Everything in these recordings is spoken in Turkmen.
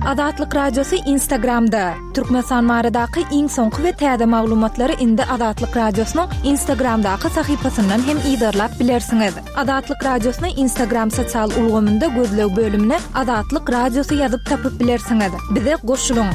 Azatlyk Radiosy Instagramda! Türkmenistan baradaky iň soňky we täze maglumatlary indi Azatlyk Radiosynyň Instagramdaky sahypasyndan hem yzarlap bilersiňiz. Azatlyk Radiosyny Instagram sosial ulgamynda gözleg bölümine Azatlyk Radiosy ýazyp tapyp bilersiňiz. Bize goşulyň!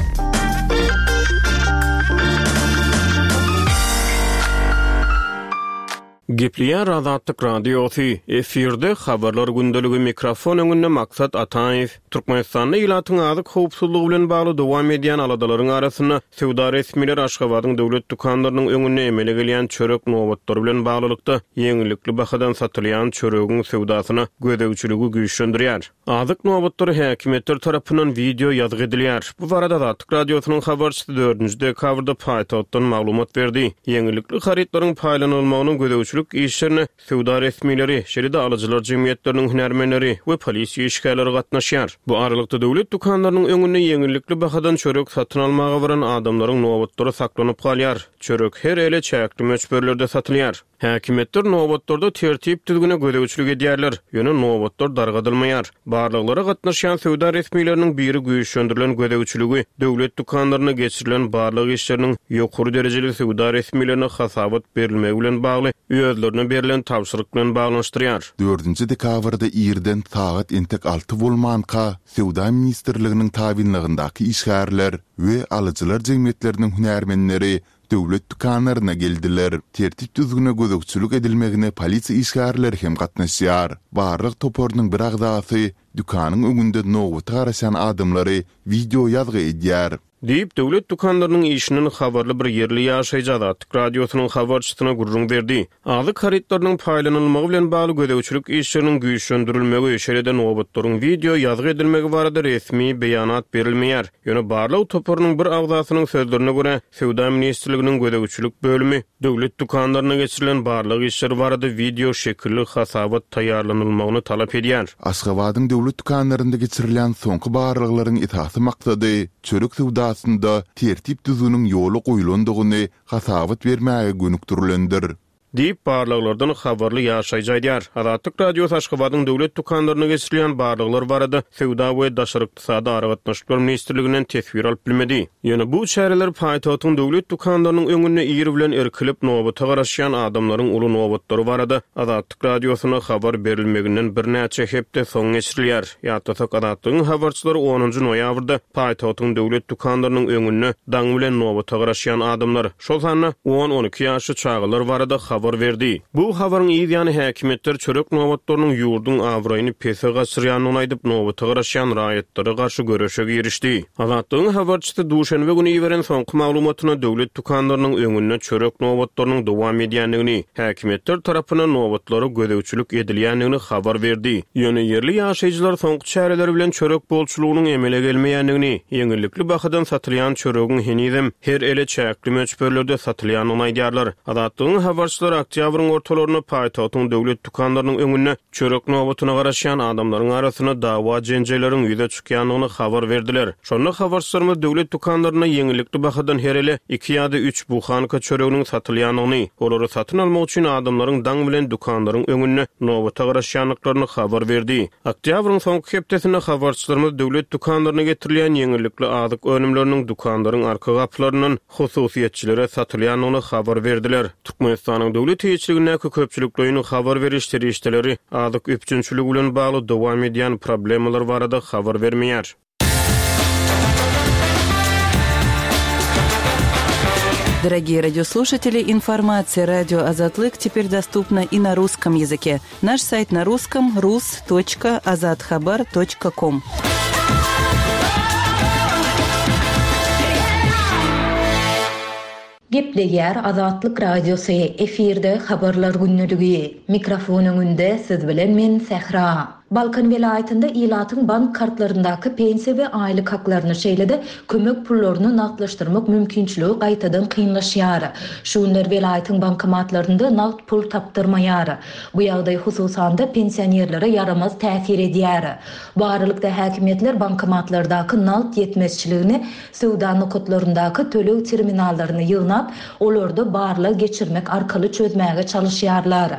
Gepleýär Azatlyk Radiosy, efirde Habarlar gündeligi mikrofon öňünde Maksat Ataýew. Türkmenistanda ilatyň azyk howpsuzlygy bilen bagly dowam edýän aladalaryň arasynda, söwda resmileri Aşgabadyň döwlet dükanlarynyň öňünde emele gelýän çörek nobatlary bilen baglylykda, ýeňillikli bahadan satylýan çöregiň söwdasyna gözegçiligi güýçlendirýär. Azyk nobatlary häkimiýetler tarapyndan wideo ýazgy edilýär. Bu barada Azatlyk Radiosynyň habarçysy dördünji dekabrda paýtagtdan maglumat berdi. Ýeňillikli harytlaryň paýlanylmagynyň gözegçilik işlerine söwda resmileri, şeýle-de alyjylar jemgyýetleriniň hünärmenleri we polisiýa işgärleri gatnaşýar. Bu aralykda, döwlet dükanlarynyň öňünde ýeňillikli bahadan çörek satyn almaga baran adamlaryň nobatlary saklanyp galýar. Çörek her ele çäkli möçberlerde satylýar. Häkimiýetler nobatlarda tertip-düzgüne gözegçilik edýärler, ýöne nobatlar dargadylmaýar. Barlaglara gatnaşýan söwda resmileriniň biri güýçlendirilen gözegçiligi döwlet dükanlarynda geçirilen barlag işleriniň ýokary derejeli söwda resmilerine hasabat berilmegi bilen bagly özlerine berlen tabşyryk bilen baglanyşdyrýar. Dördünji dekabrda irden sagat entek alty bolmanka, Söwda ministrliginiň tabynlygyndaky işgärler we alyjylar jemgyýetleriniň hünärmenleri döwlet dükanlaryna geldiler. Tertip-düzgüne gözegçilik edilmegine polisiýa işgärleri hem gatnaşýar. Barlag toparynyň bir agzasy dükanyň öňünde nobata garaşýan adamlary wideo ýazgy edýär. Diýip, döwlet dükanlarynyň işinden habarly bir ýerli ýaşaýjy Azatlyk Radiosynyň habarçysyna gürrüň berdi. Azyk harytlarynyň paýlanylmagy bilen bagly gözegçilik işleriniň güýçlendirilmegi, şeýle-de nobatlaryň wideo ýazgy edilmegi barada resmi beýanat berilmeýär. Ýöne barlag toparynyň bir agzasynyň sözlerine görä, Söwda ministrliginiň gözegçilik bölümi döwlet dükanlarynda geçirilen barlag işleri barada wideo şekilli hasabat taýýarlanylmagyny talap edýär. Aşgabadyň döwlet dükanlarynda geçirilýän soňky barlaglaryň esasy maksady çörek söwdasynda tertip-düzgüniň ýola goýlandygyny hasabat bermäge gönükdirilendir. Diýip, barlaglardan habarly ýaşaýjy aýdýar. Azatlyk Radiosy Aşgabadyň döwlet dükanlarynda geçirilýän barlaglar barada Söwda we daşary ykdysady aragatnaşyklar ministrliginden teswir alyp bilmedi. Ýöne bu çäreler paýtagtyň döwlet dükanlarynyň öňünde ir bilen irkilip, nobata garaşýan adamlaryň uly nobatlary barada Azatlyk Radiosyna habar berilmeginden birnäçe hepde soň geçirilýär. Ýatlasak, Azatlygyň habarçylary onunjy noýabrda paýtagtyň döwlet dükanlarynyň öňünde daň bilen nobata garaşýan adamlar, şol sanda on-on iki ýaşly çagalar barada habar berdi. Bu habaryň yz ýany häkimiýetler çörek nobatlarynyň ýurduň abraýyny pese gaçyrýandygyny aýdyp, nobata garaşýan raýatlara garşy göreşe girişdi. Azatlygyň habarçysy duşenbe güni iberen soňky maglumatynda döwlet dükanlarynyň öňünde çörek nobatlarynyň dowam edýändigini, häkimiýetler tarapyndan nobatlara gözegçilik edilýändigini habar berdi. Ýöne ýerli ýaşaýjylar soňky çäreler bilen çörek bolçulygynyň emele gelmeýändigini, ýeňillikli bahadan satylýan çöregiň henizem her ele çäkli möçberlerde satylýandygyny aýdýarlar. Azatlygyň habarçylary oktýabryň ortalarynda paýtagtyň döwlet dükanlarynyň öňünde çörek nobatyna garaşýan adamlaryň arasynda dawa-jenjelleriň ýüze çykýandygyny habar berdiler. Şonda habarçylarymyz döwlet dükanlarynda ýeňillikli bahadan her ele iki ýa-da üç buhanka çöreginiň satylýandygyny, olary satyn almak üçin adamlaryň daň bilen dükanlaryň öňünde nobata garaşýandyklaryny habar berdi. Oktýabryň soňky hepdesinde habarçylarymyz döwlet dükanlaryna getirilýän ýeňillikli azyk önümleriniň dükanlaryň arka gapylaryndan hususyýetçilere satylýandygyny habar berdiler. Türkmenistanyň döwlet eýeçiligindäki köpçülikleýin habar beriş serişdeleri azyk üpjünçiligi bilen bagly dowam edýän problemalar barada habar bermeýär. Дорогие радиослушатели, информация радио Азатлык теперь доступна и на русском языке. Наш сайт на русском rus.azathabar.com. Gepleýär Azatlyk Radiosy, efirde Habarlar gündeligi. Mikrofon öňünde siz bilen men Sähra. Balkan welaýatynda ilatyň bank kartlaryndaky pensiýa we aýlyk haklaryny, şeýle-de kömek pullaryny nagtlaşdyrmak mümkinçiligi gaýtadan kynlaşýar. Şu günler welaýatyň bankomatlarynda nagt pul tapdyrmaýar. Bu ýagdaý hususan-da pensionerlere ýaramaz täsir edýär. Bu aralykda häkimiýetler bankomatlardaky nagt ýetmezçiligini söwda nokatlaryndaky töleg terminallaryny ýygnap, olarda barlag geçirmek arkaly çözmäge çalyşýarlar.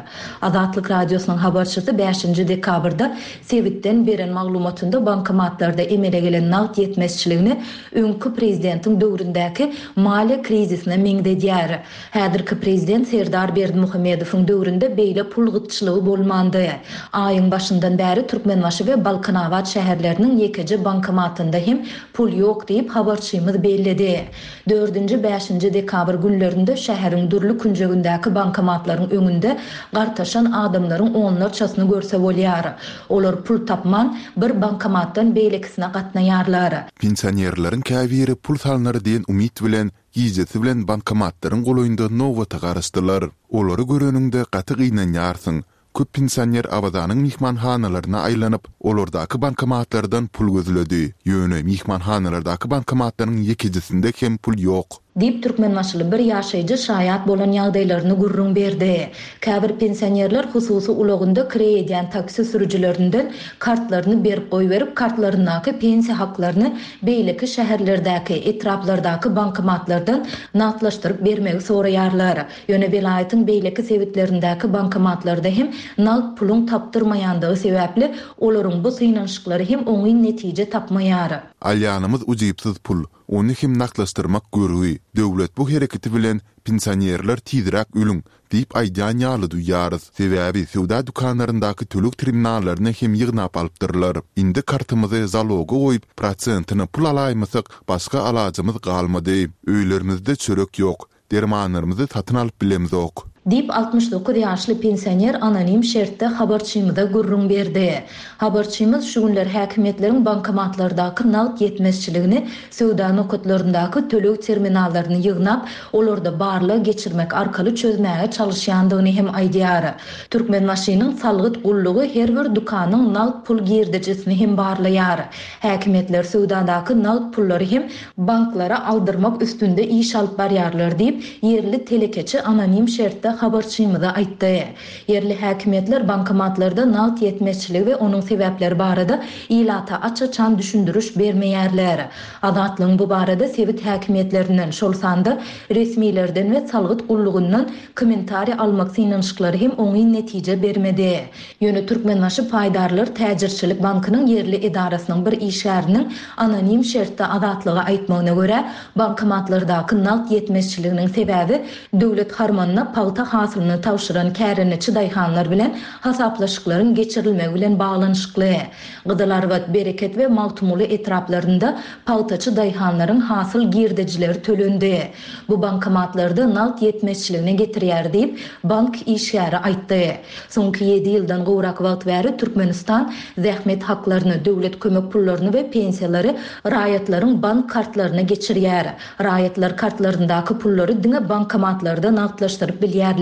Azatlyk Radiosynyň habarçysy bäşinji dekabrda. barada sebitden beren maglumatynda bankomatlarda emele gelen nagt ýetmezçiligini öňki prezidentiň döwründäki maliýe krizisine meňzedýär. Häzirki prezident Serdar Berdimuhamedowyň döwründe beýle pul gytçylygy bolmandy. Aýyň başyndan bäri Türkmenbaşy we Balkanabat şäherleriniň ýekeje bankomatynda hem pul ýok diýip, habarçymyz belledi. Dördünji, bäşinji dekabr günlerinde şäheriň dürli künjegindäki bankomatlaryň öňünde gartaşan adamlaryň onlarçasyny görse bolýar. Olar pul tapman, bir bankomatdan beýlekisine gatnaýarlar. Pensionerleriň käbiri pul salnar diýen umyt bilen gijesi bilen bankomatlaryň golaýynda nobata garaşdylar. Olary göreniňde gaty gynanýarsyň. Köp pensioner Awazanyň myhmanhanalaryna aýlanyp, olardaky bankomatlardan pul gözledi. Ýöne myhmanhanalardaky bankomatlaryň ýekejesinde hem pul ýok. Diýip, türkmenbaşyly bir ýaşaýjy şaýat bolan ýagdaýlaryny gürrüň berdi. Käbir pensionerler hususy ulagynda kireý edýän taksi sürüjilerinden kartlaryny berip goýberip, kartlaryndaky pensiýa haklaryny beýleki şäherlerdäki, etraplardaky bankomatlardan nagtlaşdyryp bermegi soraýarlar. Ýöne welaýatyň beýleki sebitlerindäki bankomatlarda hem nagt puluň tapdyrmaýandygy sebäpli, olaryň bu synanyşyklary hem oňyn netije tapmaýar. Alýanymyz ujypsyz pul, ony hem nagtlaşdyrmak görgi. Döwlet bu hereketi bilen Pensionerler tizräk ölüň, Diýip aýdýan ýaly duýýarys. Sebäbi söwda dükanlaryndaky töleg terminallaryny hem ýygnap alypdyrlar. Indi kartymyzy zaloga goýup, prosentine pul alaýmasak, başga alajymyz galmady. Öýlerimizde çörek ýok. Dermanlarymyzy satyn alyp bilemzok. Diýip, 69 ýaşly pensioner anonim şertde habarçymyza gürrüň berdi. Habarçymyz şu günler häkimiýetleriň bankomatlardaky nagt ýetmezçiligini söwda nokatlaryndaky töleg terminallaryny ýygnap, olarda barlag geçirmek arkaly çözmäge çalyşýandygyny hem aýdýar. Türkmenbaşynyň salgyt gullugy her bir dükanyň nagt pul girdejisini hem barlaýar. Häkimiýetler söwdadaky nagt pullary hem banklara aldyrmak üstünde iş alyp barýarlar diýip, ýerli telekeçi anonim şertde habarçymyza aýtdy. Ýerli häkimiýetler bankomatlarda nagt ýetmezçiligi we onuň sebäpleri barada ilata aç-açan düşündiriş bermeýärler. Azatlygyň bu barada sebit häkimiýetlerinden, şol sanda resmilerden we salgyt gullugyndan kommentariý almak synanyşyklary hem oňyn netije bermedi. Ýöne Türkmenbaşy paýdarlar täjirçilik bankynyň ýerli edarasynyň bir işgäriniň anonim şertde Azatlyga aýtmagyna görä, bankomatlardaky nagt ýetmezçiliginiň sebäbi döwlet harmanyna pagta hasylyny tabşyran kärendeçi daýhanlar bilen hasaplaşyklaryň geçirilmegi bilen baglanyşykly. Gyzylarbat, Bereket we Magtymguly etraplarynda pagtaçy daýhanlaryň hasyl girdejileri tölendi. Bu bankomatlarda nagt ýetmezçiligine getirýär diýip, bank işgäri aýtdy. Soňky ýedi ýyldan gowrak wagt bäri Türkmenistan zähmet haklaryny, döwlet kömek pullaryny we pensiýalary raýatlaryň bank kartlaryna geçirýär. Raýatlar kartlaryndaky pullary diňe bankomatlarda nagtlaşdyryp bilýärler.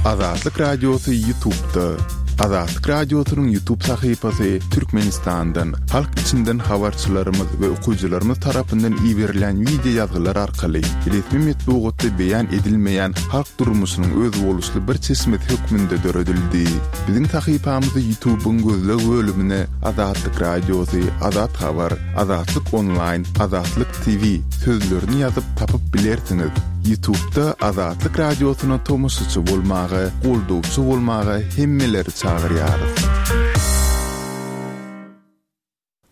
Azatlyk Radiosy Ýutubda. Azatlyk Radiosynyň Ýutub sahypasy Türkmenistandan, halk içinden habarçylarymyz we okyjylarymyz tarapyndan iberilýän wideo ýazgylar arkaly resmi metbugatda beýan edilmeýän halk durmuşynyň özboluşly bir çeşmesi hökmünde döredildi. Biziň sahypamyzy Ýutubyň gözleg bölümine Azatlyk Radiosy, Azat Habar, Azatlyk Onlaýn, Azatlyk TV sözlerini ýazyp tapyp bilersiňiz. Ýutubda Azatlyk Radiosyna tomaşaçy bolmaga, goldawçy bolmaga hemmeleri çagyrýarys.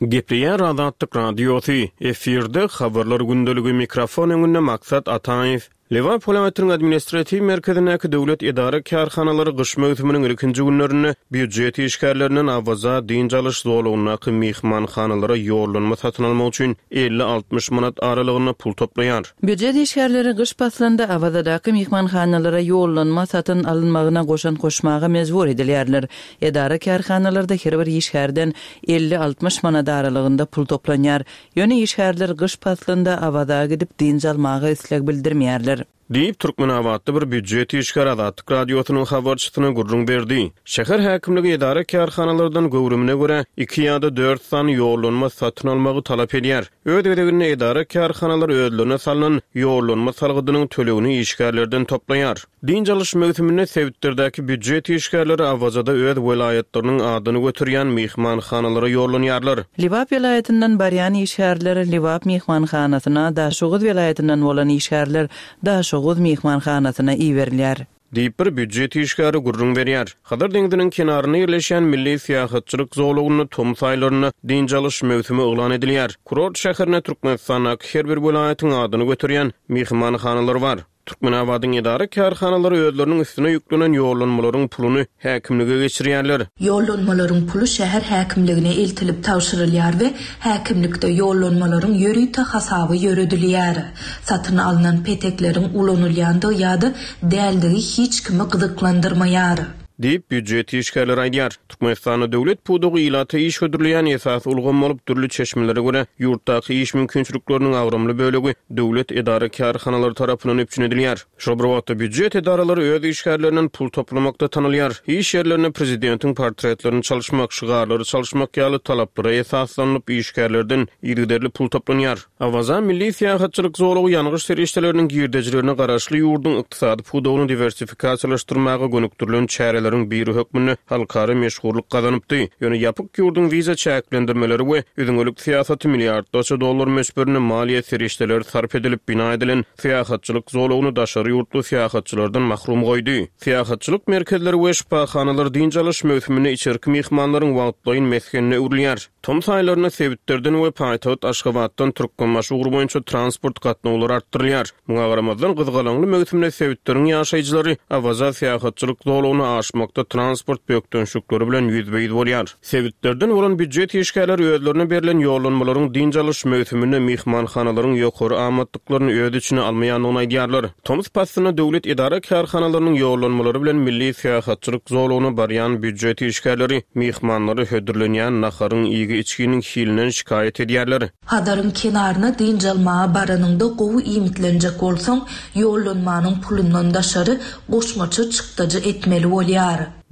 Gepleýär Azatlyk Radiosy, efirde Habarlar gündeligi, mikrofon öňünde Maksat Ataýew. Lebap welaýatynyň administratiw merkezindäki döwlet edara-kärhanalary gyş möwsüminiň ilkinji günlerinde býujet işgärlerinden Awaza dynç alyş zolagyndaky myhmanhanalara ýollanma satyn almak üçin 50-60 manat aralygynda pul toplaýar. Býujet işgärleri gyş paslynda Awazadaky myhmanhanalara ýollanma satyn alynmagyna goşant goşmaga mejbur edilýärler. Edara-kärhanalarda her bir işgärden 50-60 manat aralygynda pul toplanýar. Ýöne işgärler gyş paslynda Awaza gidip dynç almaga isleg bildirmeýärler. Diýip, türkmenabatly bir býujet işgäri Azatlyk Radiosynyň habarçysyna gürrüň berdi. Şäher häkimligi edara-kärhanalardan göwrümine görä, iki ýa-da dört sany ýollanma satyn almagy talap edýär. Öz gezeginde edara-kärhanalar özlerine salnan ýollanma salgydynyň tölegini işgärlerden toplaýar. Dynç alyş möwsüminde sebitlerdäki býujet işgärleri Awazada öz welaýatlarynyň adyny göterýän myhmanhanalara ýollanýarlar. Lebap welaýatyndan barýan işgärler Lebap myhmanhanasyna, Daşoguz welaýatyndan bolan işgärler Daşoguz myhmanhanasyna iberilýär. Diýip, bir býujet işgäri gürrüň berýär. Hazar deňziniň kenarynda ýerleşýän milli syýahatçylyk zolagynda tomus aýlarynda dynç alyş möwsümi yglan edilýär. Kurort şäherinde Türkmenistandaky her bir welaýatyň adyny göterýän myhmanhanalar bar. Türkmenabadyň edara-kärhanalary özleriniň üstüne ýüklenen ýollanmalaryň puluny häkimlige geçirýärler. Ýollanmalaryň puly şäher häkimligine eltilip tabşyrylýar we häkimlikde ýollanmalaryň ýörite hasaby ýöredilýär. Satyn alnan petekleriň ulanylýandygy ýa-da däldigi hiç kimi gyzyklandyrmaýar. Diýip, býujet işgärleri aýdýar. Türkmenistanda döwlet pudagy ilata iş hödürleýän esasy ulgam bolup, dürli çeşmelere görä, ýurtdaky iş mümkinçilikleriniň agramly bölegi döwlet edara-kärhanalary tarapyndan üpjün edilýär. Şol bir wagtda, býujet edaralary öz işgärlerinden pul toplamakda tanalýar. Iş ýerlerinde prezidentiň portretlerini çalyşmak, şygarlary çalyşmak ýaly talaplara esaslanylyp, işgärlerden yzygiderli pul toplanýar. Awaza milli syýahatçylyk zolagy ýangyç serişdeleriniň girdejilerine garaşly ýurduň ykdysady pudagyny diwersifikasiýalaşdyrmaga gönükdirilen çäreleriň biri hökmünde halkara meşhurlyk gazanypdy. Ýöne ýapyk ýurduň wiza çäklendirmeleri we üzňelik syýasaty milliardlarça dollar möçberinde maliýe serişdeleri sarp edilip bina edilen syýahatçylyk zolagyny daşary ýurtly syýahatçylardan mahrum goýdy. Syýahatçylyk merkezleri we şypahanalar dynç alyş möwsüminde içerki myhmanlaryň wagtlaýyn mesgenine öwrülýär. Tomus aýlarynda sebitlerden we paýtagt Aşgabatdan Türkmenbaşy ugry boýunça transport gatnawlary artdyrylýar. Muňa garamazdan, gyzgalaňly möwsümde sebitleriň ýaşaýjylary Awaza syýahatçylyk zolagyna aşmakda transport bökdençlikleri bilen ýüzbe-ýüz bolýar. Sebitlerden bolan býujet işgärleri özlerine berlen ýollanmalaryň dynç alyş möwsüminde myhmanhanalaryň ýokary amatlyklaryny öz içine almaýandygyny aýdýarlar. Tomus paslynda döwlet edara-kärhanalarynyň ýollanmalary bilen milli syýahatçylyk zolagyna barýan býujet işgärleri myhmanlara hödürlenýän naharyň, iýgi-içginiň hilinden şikaýat edýärler. Hazaryň kenaryna dynç almaga baranyňda gowy iýmitlenjek bolsaň, ýollanmanyň pulundan daşary goşmaça çykdajy etmeli bolýar.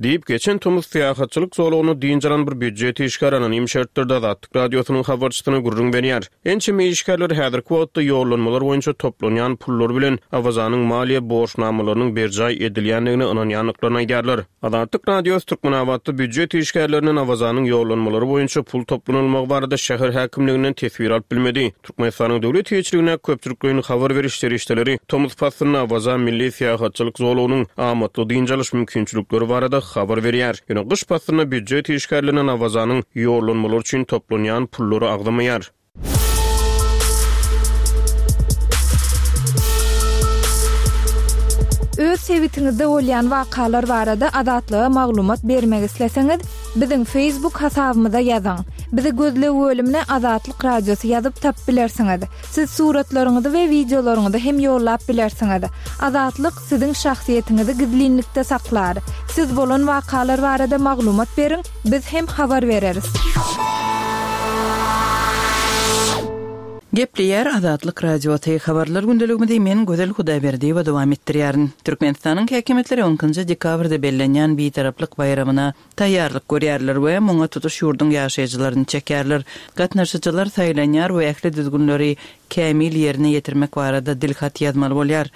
Diýip, geçen tomus syýahatçylyk zolagynda dynç alan bir býujet işgäri anonim şertlerde Azatlyk Radiosynyň habarçysyna gürrüň berýär. Ençeme işgärler häzirki wagtda ýollanmalar boýunça toplanýan pullar bilen Awazanyň maliýe borçnamalarynyň berjaý edilýändigine ynanýandyklaryny aýdýarlar. Azatlyk Radiosy Türkmenabatda býujet işgärlerinden Awazanyň ýollanmalary boýunça pul toplanylmagy barada şäher häkimliginden teswir alyp bilmedi. Türkmenistanyň döwlet eýeçiligindäki köpçülikleýin habar beriş serişdeleri tomus paslynda Awaza milli syýahatçylyk zolagynyň amatly dynç alyş mümkinçilikleri barada habar berýär. Ýöne gyş paslynda býujet işgärlerinden Awazanyň ýollanmalary üçin toplanýan pullary agzamaýar. Öz sebitiňizde bolýan wakalar barada Azatlyga maglumat bermek isleseňiz, biziň Facebook hasabymyza ýazyň. Bizi gözleg bölümine Azatlyk Radiosy ýazyp tapyp bilersiňiz. Siz suratlaryňyzy we wideolaryňyzy hem ýollap bilersiňiz. Azatlyk siziň şahsyýetiňizi gizlinlikde saklar. Siz bolan wakalar barada maglumat beriň, biz hem habar bereris. Gepleýär Azatlyk Radiosy, Habarlar gündeligimizi men Gözel Hudaýberdiýewa dowam etdirýärin. Türkmenistanyň häkimiýetleri on ikinji dekabrda bellenýän Bitaraplyk baýramyna taýýarlyk görýärler we muňa tutuş ýurduň ýaşaýjylaryny çekýärler. Gatnaşyjylar saýlanýar we ähli düzgünleri kämil ýerine ýetirmek barada dilhat ýazmaly bolýar.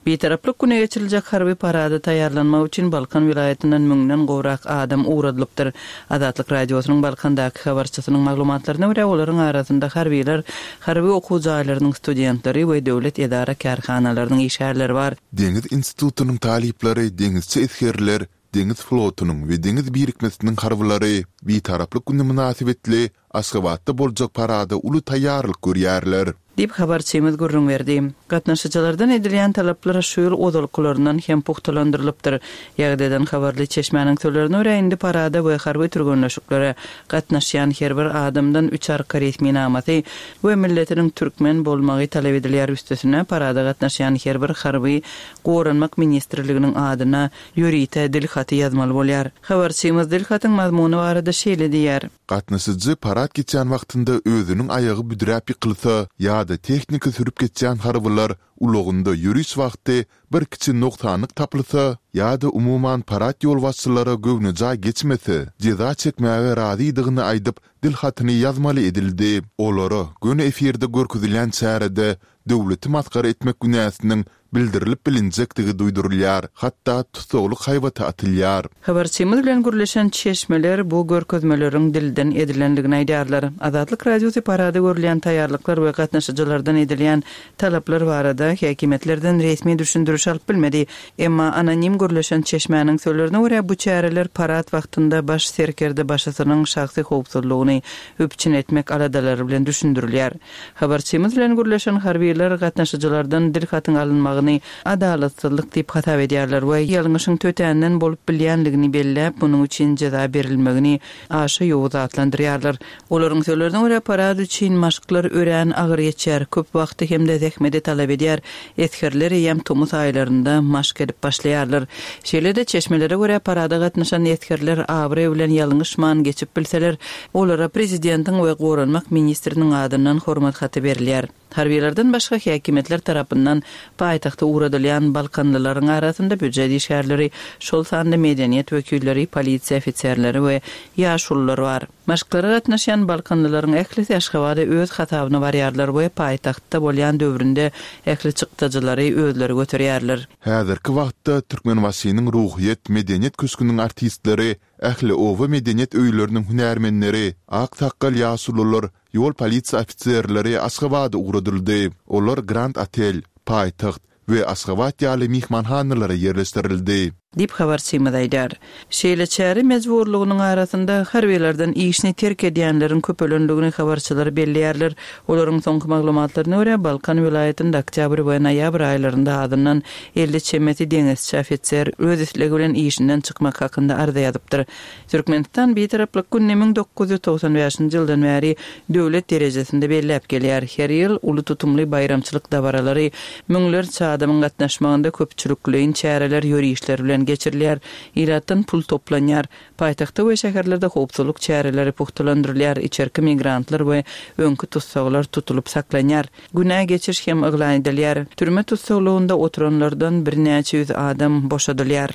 Bitaraplyk güni geçiriljek harby parada taýýarlanmak üçin Balkan welaýatyndan müňden gowrak adam ugradylypdyr. Azatlyk Radiosynyň Balkandaky habarçysynyň maglumatlaryna görä, olaryň arasynda harbylar, harby okuw jaýlarynyň studentleri we döwlet edara-kärhanalarynyň işgärleri bar. Deňiz institutynyň talyplary, deňizçi esgerler, deňiz flotunyň we deňiz birikmesiniň harbylary Bitaraplyk güni mynasybetli Aşgabatda boljak parada uly taýýarlyk görýärler. Diýip, habarçymyz gürrüň berdi. Gatnaşyjylardan edilýän talaplar şu ýyl ozalkylaryndan hem pugtalandyrylypdyr. Ýagdaýdan habarly çeşmäniň sözlerine görä, indi parada we harby türgenleşiklere gatnaşýan her bir adamdan üç arka resminamasy we milletiniň türkmen bolmagy talap edilýär, üstesine, parada gatnaşýan her bir harby Goranmak ministrliginiň adyna ýörite dil haty ýazmaly bolýar. Habarçymyz dil hatyň mazmuny barada şeýle diýýär. Gatnaşyjy parad geçýän wagtynda özüniň aýagy büdräp ýykylsa ýa-da tehnika sürüp geçýän harbylar ulagynda ýöriş wagty bir kiçi nogsanlyk tapylsa ýa-da umuman parad ýolbaşçylara göwnejaý geçmese, jeza çekmäge razydygyny aýdyp dil hatyny ýazmaly edildi. Olara göni efirde görkezilýän çärede döwleti masgara etmek günäsiniň. bildirilip bilinjekdigi duýdurylýar, hatda tussaglyk haýbaty atylýar. Habarçymyz bilen gürleşen çeşmeler bu görkezmeleriň dilden edilendigini aýdýarlar. Azatlyk Radiosy parada görülýän taýýarlyklar we gatnaşyjylardan edilýän talaplar barada häkimiýetlerden resmi düşündiriş alyp bilmedi. Emma anonim gürleşen çeşmäniň sözlerine görä, bu çäreler parad wagtynda baş serkerdebaşysynyň şahsy howpsuzlygyny üpjün etmek aladalary bilen düşündirilýär. Habarçymyz bilen gürleşen harbylar gatnaşyjylardan dilhatyň alynmagyny adalatsyzlyk diýip hasap edýärler we ýalňyşyň tötänden bolup bilýänligini belläp, munuň üçin jeza berilmegini aşa ýowuz atlandyrýarlar. Olaryň sözlerine görä, parad üçin maşklar örän agyr geçýär, köp wagty hem-de zähmeti talap edýär, esgerler eýýäm tomus aýlarynda maşk edip başlaýarlar. Şeýle-de, çeşmelere görä, parada gatnaşan esgerler abraý bilen ýalňyşman geçip bilseler, olara prezidentiň we goranmak ministriniň adyndan hormat haty berilýär. Harbylardan başga häkimiýetler tarapyndan paýtagta ugradylýan balkanlylaryň arasynda býujet işgärleri, şol sanda medeniýet wekilleri, polisiýa ofiserleri we ýaşulular bar. Maşklara gatnaşýan balkanlylaryň ählisi Aşgabada öz hasabyna barýarlar we paýtagtda bolýan döwründe ähli çykdajylary özleri göterýärler. Häzirki wagtda Türkmenbaşynyň Ruhyýet medeniýet köşgüniň artistleri, ähli oba medeniýet öýleriniň hünärmenleri, ak sakgal ýaşulular, ýol polisiýa ofiserleri Aşgabada ugradyldy. Olar Grand Otel, Paýtagt we Aşgabat ýaly myhmanhanalara ýerleşdirildi. Diýip, habarçymyz aýdýar. Şeýle çäre mejburlygynyň arasynda harbylardan işini terk edýänleriň köpelendigini habarçylar belleýärler. Olaryň soňky maglumatlaryna görä, Balkan welaýatynda oktýabr we noýabr aýlarynda azyndan 50 çemesi deňizçi ofiser öz islegi bilen işinden çykmak hakynda arza ýazypdyr. Türkmenistan Bitaraplyk gününi 1995-nji ýyldan bäri döwlet derejesinde belläp gelýär. Her ýyl uly tutumly baýramçylyk dabaralary, müňlerçe adamyň gatnaşmagynda köpçülikleýin çäreler, ýörişler bilen geçirilýär. Ilatdan pul toplanýar. Paýtagtda we şäherlerde howpsuzlyk çäreleri pugtalandyrylýar, içerki migrantlar we öňki tussaglar tutulyp saklanýar. Günä geçiş hem yglan edilýär. Türme tussaglygynda oturanlardan birnäçe ýüz adam boşadylýar.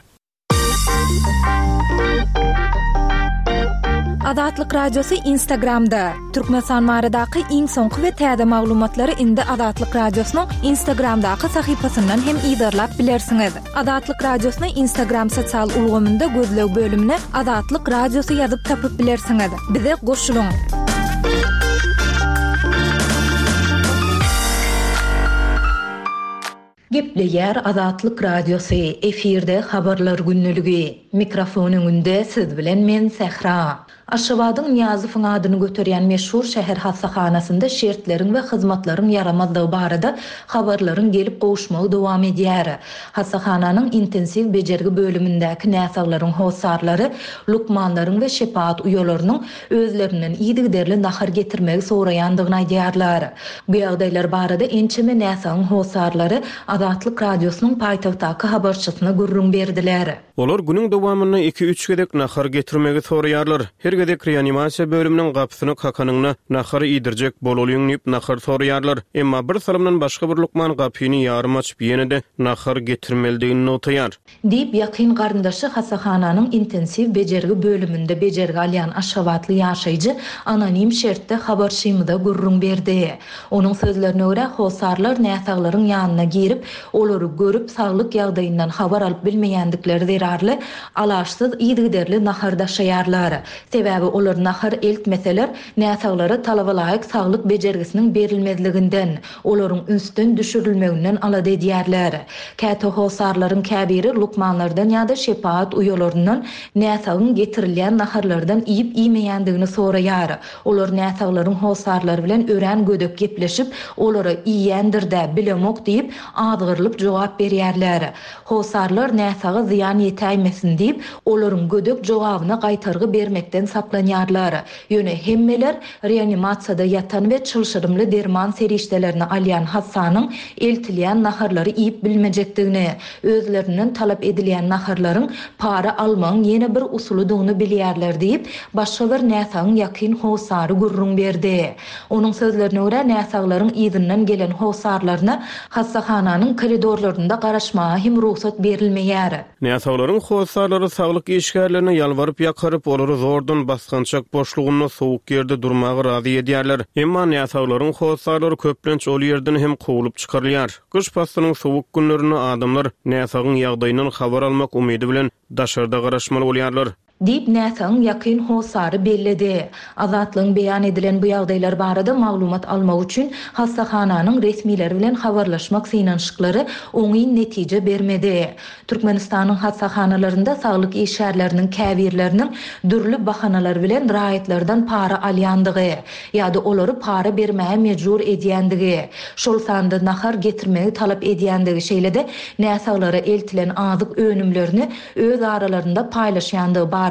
Azatlyk Radiosy Instagramda, Türkmenistan baradaky iň soňky we täze maglumatlary indi Azatlyk Radiosynyň Instagramdaky sahypasyndan hem yzarlap bilersiňiz. Azatlyk Radiosyny Instagram sosial ulgamynda gözleg bölümine Azatlyk Radiosy ýazyp tapyp bilersiňiz. Bize goşulyň! Gepleýär Azatlyk Radiosy, efirde Habarlar gündeligi. Mikrofon öňünde siz bilen men Sähra. Aşgabadyň Nyýazowyň adyny göterýän meşhur şäher hassahanasynda şertleriň we hyzmatlaryň ýaramazlygy barada habarlaryň gelip gowuşmagy dowam edýär. Hassahananyň intensiw bejergi bölümindäki näsaglaryň hossarlary lukmanlaryň we şepagat uýalarynyň özlerinden yzygiderli nahar getirmegi soraýandygyny aýdýarlar. Bu ýagdaýlar barada ençeme näsagyň hossarlary Azatlyk Radiosynyň paýtagtdaky habarçysyna gürrüň berdiler. Olar günüň dowamynda iki-üç gezek nahar getirmegi soraýarlar. Her gezek reanimasiýa bölüminiň gapysyny kakanynda, nahar iýdirjek bolalyň diýip, nahar soraýarlar. Emma bir salymdan başga bir lukman gapyny ýarym açyp, ýene-de nahar getirmelidigini nygtaýar. Diýip, ýakyn garyndaşy hassahananyň intensiw bejergi bölüminde bejergi alýan aşgabatly ýaşaýjy anonim şertde habarçymyza gürrüň berdi. Onuň sözlerine görä, hossarlar näsaglaryň ýanyna girip, olary görüp, saglyk ýagdaýyndan habar alyp bilmeýändikleri zerarly, alaçsyz yzygiderli nahar daşaýarlar. Sebäbi olar nahar eltmeseler, näsaglara talabalaýyk saglyk bejergisiniň berilmezliginden, olaryň ünsden düşürilmeginden alada edýärler. Käte hossarlaryň käbiri lukmanlardan ýa-da şepagat uýalaryndan näsagyň getirilýän naharlardan iýip-iýmeýändigini soraýar. Olar näsaglaryň hossarlary bilen örän gödek gepleşip, olara iýýändir-dä, bilemok diýip, azgyrylyp jogap berýärler. Hossarlar näsaga zyýan ýetäýmesin diýip, olaryň gödek jogabyna gaýtargy bermekden saklanýarlar. Ýöne hemmeler reanimasiýada ýatan we çylşyrymly derman serişdelerini alýan hassanyň eltilýän naharlary iýip bilmejekdigini, özlerinden talap edilýän naharlaryň para almagyň ýene bir usulydygyny bilýärler diýip, başga bir näsagyň ýakyn hossary gürrüň berdi. Onuň sözlerine görä, näsaglaryň yzyndan gelen hossarlaryna hassahananyň. Hassahananyň koridorlarynda garaşmaga hem rugsat berilmeýär. Näsaglaryň hossarlary saglyk işgärlerine ýalbaryp-ýakaryp, olary zordan basgançak boşlugynda sowuk ýerde durmaga razy edýärler. Emma näsaglaryň hossarlary köplenç ol ýerden hem kowlup çykarylýar. Gyş paslynyň sowuk günlerinde adamlar näsagyň ýagdaýyndan habar almak umydy bilen daşarda garaşmaly bolýarlar. Diýip, näsagyň ýakyn hossary belledi. Azatlygyň beýan edilen bu ýagdaýlar barada maglumat almak üçin hassahananyň resmileri bilen habarlaşmak synanyşyklary oňyn netije bermedi. Türkmenistanyň hassahanalarynda saglyk işgärleriniň käbirleriniň dürli bahanalar bilen raýatlardan para alýandygy ýa-da olary para bermäge mejbur edýändigi, şol sanda nahar getirmegi talap edýändigi, şeýle-de näsaglara eltilen azyk önümlerini öz aralarynda paýlaşýandygy barada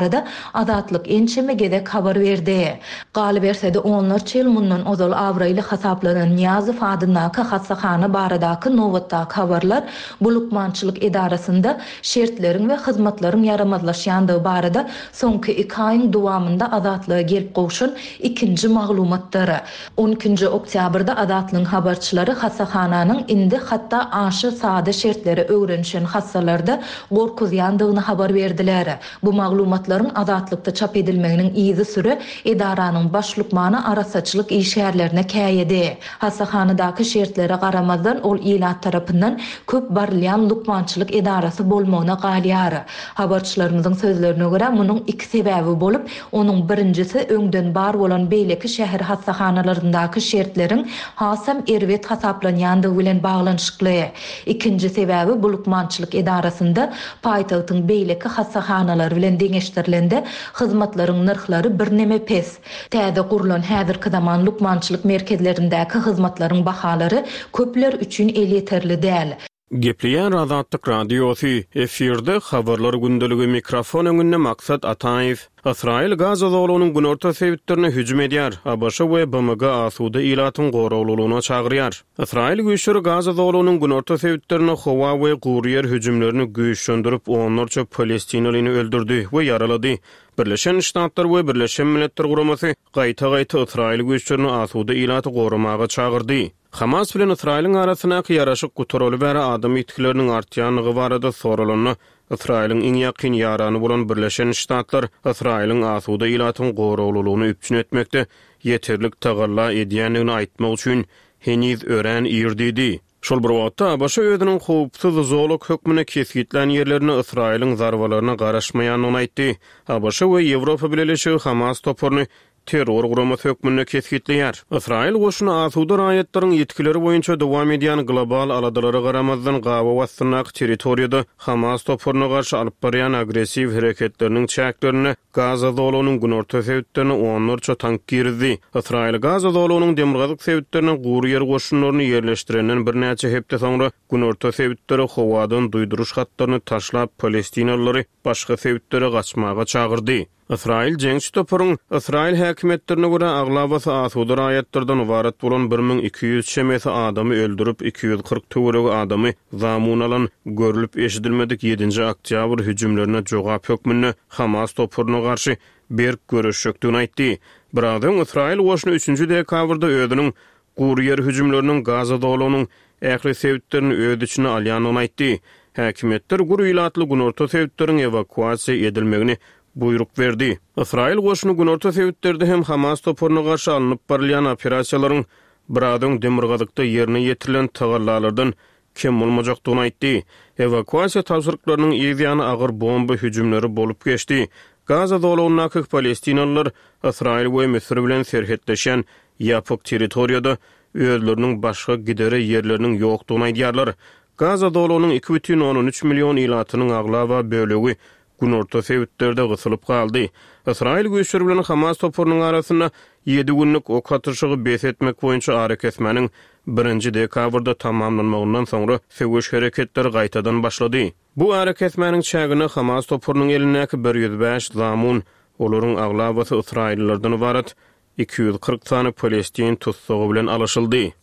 Azatlyk ençeme gezek habar berdi. Galyberse-de, onlarça ýyl mundan ozal abraýly hasaplanan Nyýazow adyndaky hassahana baradaky nobatdaky habarlar bu lukmançylyk edarasynda şertleriň we hyzmatlaryň ýaramazlaşýandygy barada soňky iki aýyň dowamynda Azatlyga gelip gowşan ikinji maglumatdyr. On ikinji oktýabrda Azatlygyň habarçylary hassahananyň indi hatda aşa sada şertlere öwrenişen hassalarda gorkuzýandygyny habar berdiler. Bu maglumatlaryň Azatlykda çap edilmeginiň yzysüre edaranyň baş lukmany arassaçylyk işgärlerine käýedi. Hassahanadaky şertlere garamazdan, ol ilat tarapyndan köp barylýan lukmançylyk edarasy bolmagyna galýar. Habarçylarymyzyň sözlerine görä, munuň iki sebäbi bolup, Onuň birinjisi öňden bar bolan beýleki şäher hassahanalaryndaky şertleriň hasam erbet hasaplanýandygy bilen baglanyşykly. Ikinji sebäbi bu lukmançylyk edarasynda paýtagtyň beýleki hassahanalary bilen deňeşdirilende hyzmatlaryň nyrhlary birneme pes. Täze gurlan häzirki zaman lukmançylyk merkezlerindäki hyzmatlaryň bahalary köpler üçin elýeterli däl. Gepleýär Azatlyk Radiosy, efirde Habarlar gündeligi, mikrofon öňünde Maksat Ataýew. Ysraýyl Gaza zolagynyň günorta sebitlerine hüjüm edýär, ABŞ we BMG asuda ilatyň goraglylygyna çagyrýar. Ysraýyl güýçleri Gaza zolagynyň günorta sebitlerinde howa we gury ýer hüjümlerini güýçlendirip, onlarça palestinalyny öldürdi we ýaralady. Birleşen Ştatlar we Birleşen Milletler Guramasy gaýta-gaýta ysraýyl güýçlerini asuda ilaty goramaga çagyrdy. Hamas bilen Ysraýylyň arasyndaky ýaraşyk gutaraly bäri adam ýitgileriniň artýandygy barada soralanda, Ysraýylyň iň ýakyn ýarany bolan Birleşen Ştatlar Ysraýylyň asuda ilatyň goraglylygyny üpjün etmekde ýeterlik tagalla edýändigini aýtmak üçin heniz örän ir diýdi. Şol bir wagtda, ABŞ özüniň howpsuz zolak hökmünde kesgitlän ýerlerinde Ysraýylyň zarbalaryna garaşmaýandygyny aýtdy. ABŞ we Ýewropa Bileleşigi Hamas toparyny terror guramasy hökmünde kesgitleýär. Ysraýyl goşuny asuda raýatlaryň ýitgileri boýunça dowam edýän global aladalara garamazdan gabaw astyndaky territoriýada Hamas toparyna garşy alyp barýan agressiw hereketleriniň çäklerinde Gaza zolagynyň günorta sebitlerine onlarça tank girizdi. Ysraýyl Gaza zolagynyň demirgazyk sebitlerine gury ýer goşunlaryny ýerleşdirenden birnäçe hepde soňra günorta sebitlere howadan duýduryş hatlaryny taşlap palestinalylary başga sebitlere gaçmaga çagyrdy. Ysraýyl jeňçi toparyň, ysraýyl häkimiýetlerine görä, aglabasy asuda raýatlardan ybarat bolan 1200 çemesi adamy öldürip, 240 töweregi adamy zamun alan görlüp-eşidilmedik ýedinji oktýabr hüjümlerine jogap hökmünde Hamas toparyna garşy berk göreşjekdigini aýtdy. Biraz öň ysraýyl goşuny üçünji dekabrda özüniň Gury ýer hüjümleriniň Gaza zolagynyň ähli sebitlerini öz içine alýandygyny aýtdy. Häkimiýetler gür ilatly günorta sebitleriň ewakuasiýa edilmegini buýruk berdi. Ysraýyl goşuny günorta sebitlerde hem Hamas toparyna garşy alnyp barylýan operasiýalaryň biraz öň demirgazykda ýerine ýetirilen tagallalardan kem bolmajakdygyny aýtdy. Ewakuasiýa tabşyryklarynyň yz ýany agyr bomba hüjümleri bolup geçdi. Gaza zolagyndaky palestinalylar Ysraýyl we Müsür bilen serhetleşýän ýapyk territoriýada özleriniň başga gidere ýerleriniň ýokdugyny aýdýarlar. Gaza zolagynyň 2,3 million ilatynyň aglaba bölegi günorta sebitlerde gysylyp galdy. Ysraýyl güýçleri bilen Hamas toparynyň arasynda ýedi günlük ok atyşygy bes etmek boýunça arakesmäniň birinji dekabrda tamamlanmagyndan soňra söweş hereketleri gaýtadan başlady. Bu arakesmäniň çäginde Hamas toparynyň elindäki 105 zamun, olaryň aglabasy ysraýyllylardan ybarat, 240 sany palestin tussagy bilen alyşyldy.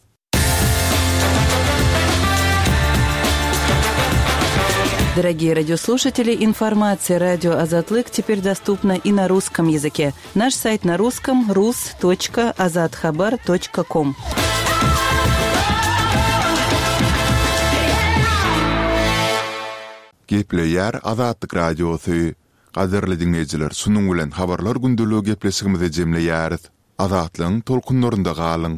Дорогие радиослушатели, информация радио Азатлык теперь доступна и на русском языке. Наш сайт на русском rus.azathabar.com. Gepleýär Azatlyk Radiosy. Gadyrly diňleýjiler, şunuň bilen Habarlar gündeligi gepleşigimizi jemleýäris. Azatlygyň tolkunlarynda galyň!